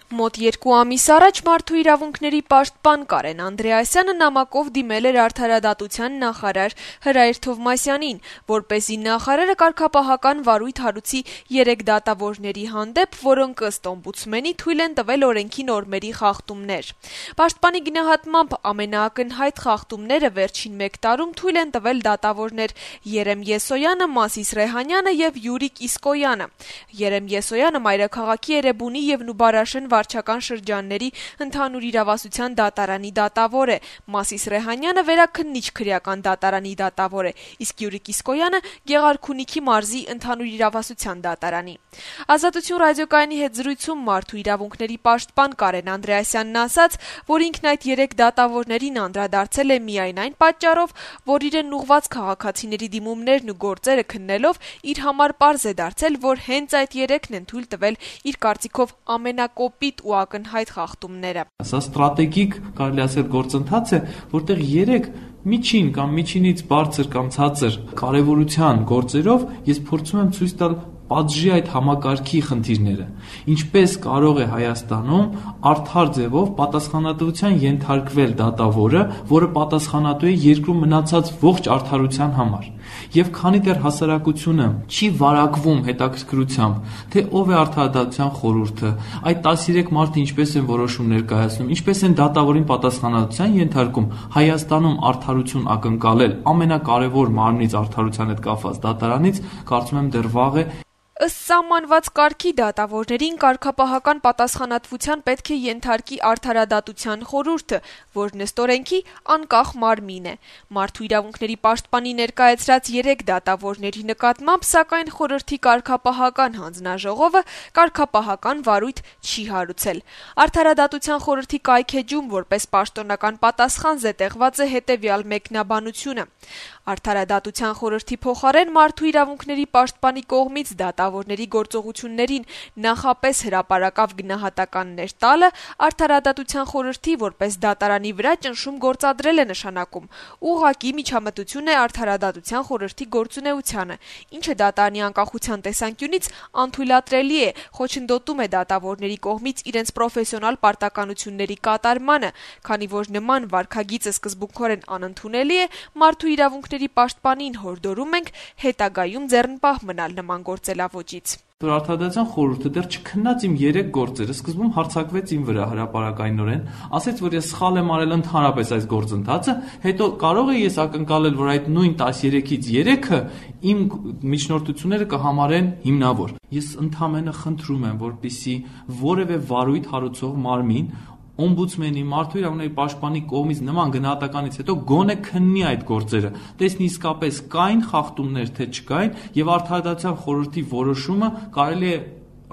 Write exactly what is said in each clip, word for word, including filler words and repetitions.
Մոտ երկու ամիս առաջ Մարդու իրավունքների պաշտպան Կարեն Անդրեասյանը նամակով դիմել էր Արդարադատության նախարար Հրայր Թովմասյանին, որպեսզի նախարարը կարգապահական վարույթ հարուցի երեք դատավորների հանդեպ, որոնք ըստ օմբուդսմենի թույլ են տվել օրենքի նորմերի խախտումներ։ Պաշտպանի գնահատմամբ ամենաակնհայտ խախտումները վերջին մեկ տարում թույլ են տվել դատավորներ Երեմ Եսոյանը, Մասիս Ռեհանյանը եւ Յուրիկ Իսկոյանը։ Երեմ Եսոյանը մայրաքաղաքի Էրեբունի եւ Նուբարաշեն վարչական շրջանների ընդհանուր իրավասության դատարանի դատավոր է, Մասիս Ռեհանյանը վերաքննիչ քրեական դատարանի դատավոր է, իսկ Յուրիկ Իսկոյանը Գեղարքունիքի մարզի ընդհանուր իրավասության դատարանի։ Ազատություն ռադիոկայանի հետ զրույցում Մարդու իրավունքների պաշտպան Կարեն Անդրեասյանն ասաց, որ ինքն այդ երեք դատավորներին անդրադարձել է միայն այն պատճառով, որ իրեն ուղղված քաղաքացիների դիմումներն ու գործերը քննելով իր համար պարզ է դարձել, որ հենց այդ երեքն են թույլ տվել իր կարծիքով ամենակոպիտ ու ակնհայտ խախտումները։ Սա ստրատեգիկ, կարելի ասել, գործընթաց է, որտեղ երեք միջին կամ միջինից բարձր կամ ցածր կարևորության գործերով ես փորձում եմ ցույց տալ պատժի այդ համակարգի խնդիրները, ինչպես կարող է Հայաստանում արդար ձևով պատասխանատվության ենթարկվել դատավորը, որը պատասխանատու է երկրում մնացած ողջ արդարության համար։ Եվ քանի դեռ հասարակությունը չի վարակվում հետաքրքրությամբ, թե ով է Արդարադատության խորհուրդը, այդ տասներեք մարդը ինչպես են որոշում ներկայացնում, ինչպես են դատավորին պատասխանատվության ենթարկում, Հայաստանում արդարություն ակնկալել ամենակարևոր մարմնից արդարության հետ կապված դատարանից, կարծում եմ դեռ վաղ է։ Ըստ սահմանված կարգի դատավորներին կարգապահական պատասխանատվության պետք է ենթարկի Արդարադատության խորհուրդը, որն ըստ օրենքի անկախ մարմին է։ Մարդու իրավունքների պաշտպանի ներկայացրած երեք դատավորների նկատմամբ, սակայն խորհրդի կարգապահական հանձնաժողովը կարգապահական վարույթ չի հարուցել։ Արդարադատության խորհրդի կայքեջում որպես պաշտոնական պատասխան զետեղված է հետևյալ մեկնաբանությունը. Արդարադատության խորհրդի փոխարեն Մարդու իրավունքների պաշտպանի կողմից դատավորների գործողություններին նախապես հրապարակավ գնահատականներ տալը Արդարադատության խորհրդի որպես դատարանի վրա ճնշում գործադրել է նշանակում, ուղղակի միջամտություն է Արդարադատության խորհրդի գործունեությանը, ինչը դատարանի անկախության տեսանկյունից անթույլատրելի է, խոչընդոտում է դատավորների կողմից իրենց պրոֆեսիոնալ պարտականությունների կատարմանը, քանի որ նման վարքագիծը սկզբունքորեն անընդունելի է, Մարդու իրավունքների պաշտպանին հորդորում ենք հետագայում ձեռնպահ մնալ նման գործելավոճից։ Արդարադատության խորհուրդը դեռ չքննած իմ երեք գործերը սկզբում հարձակվեց իմ վրա հրապարակայնորեն, ասեց, որ ես սխալ եմ արել ընդհանրապես այս գործընթացը, հետո կարող է ես ակնկալել, որ այդ նույն տասներեքից երեքը իմ միջնորդությունները կհամարեն հիմնավոր։ Ես ընդամենը խնդրում եմ, որպեսզի որևէ վարույթ հարուցող մարմին օմբուդսմենի, Մարդու իրավունքների պաշտպանի կողմից նման գնահատականից հետո գոնե քննի այդ գործերը, տեսնի իսկապես կային խախտումներ, թե չկային, եւ Արդարադատության խորհրդի որոշումը կարելի է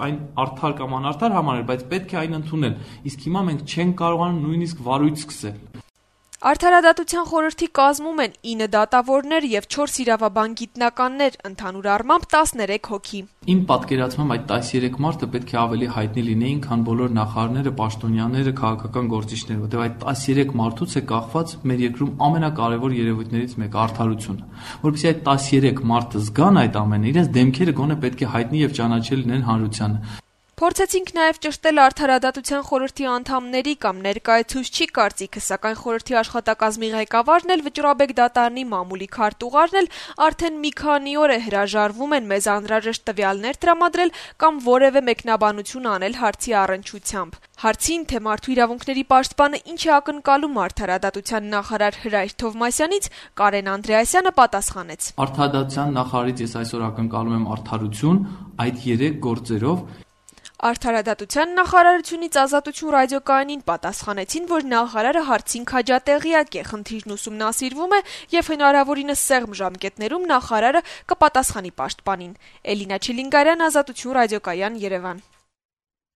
այն արդար կամ անարդար համարել, բայց պետք է այն ընդունել։ Իսկ հիմա մենք չենք կարողանում նույնիսկ վարույթ սկսել։ Արդարադատության խորհրդի կազմում են ինը դատավորներ եւ չորս իրավաբան գիտնականներ, ընդհանուր առմամբ տասներեք հոգի։ Իմ պատկերացմամբ այդ տասներեք մարդը պետք է ավելի հայտնի լինեին, քան բոլոր նախարարները, պաշտոնյաները, քաղաքական գործիչները, որտեղ այդ տասներեք մարդուց է կախված մեր երկրում ամենակարևոր երևույթներից մեկը՝ արդարությունը։ Որովհետեւ այդ տասներեք մարդը զգան այդ ամենը, իրենց դեմքերը գոնե պետք է հայտնի եւ ճանաչել լինեն հանրությանը։ Փորձեցինք նաև ճշտել Արդարադատության խորհրդի անդամների կամ ներկայացուցչի կարծիքը, սակայն խորհրդի աշխատակազմի ղեկավարն էլ Վճռաբեկ դատարանի մամուլի քարտուղարն էլ արդեն մի քանի օր է հրաժարվում են մեզ անհրաժեշտ տվյալներ տրամադրել կամ որևէ մեկնաբանություն անել հարցի առնչությամբ։ Հարցին, թե Մարդու իրավունքների պաշտպանը ինչ է ակնկալում Արդարադատության նախարար Հրայր Թովմասյանից, Կարեն Անդրեասյանը պատասխանեց. Արդարադատության նախարարից ես այսօր ակնկալում եմ արդարություն այդ երեք գործերով։ Արդարադատության նախարարությունից Ազատություն ռադիոկայանին պատասխանեցին, որ նախարարը հարցին քաջատեղյակ է, խնդիրն ուսումնասիրվում է եւ հնարավորինս սեղմ ժամկետներում նախարարը կպատասխանի պաշտպանին։ Էլինա Չիլինգարյան, Ազատություն ռադիոկայան, Երևան։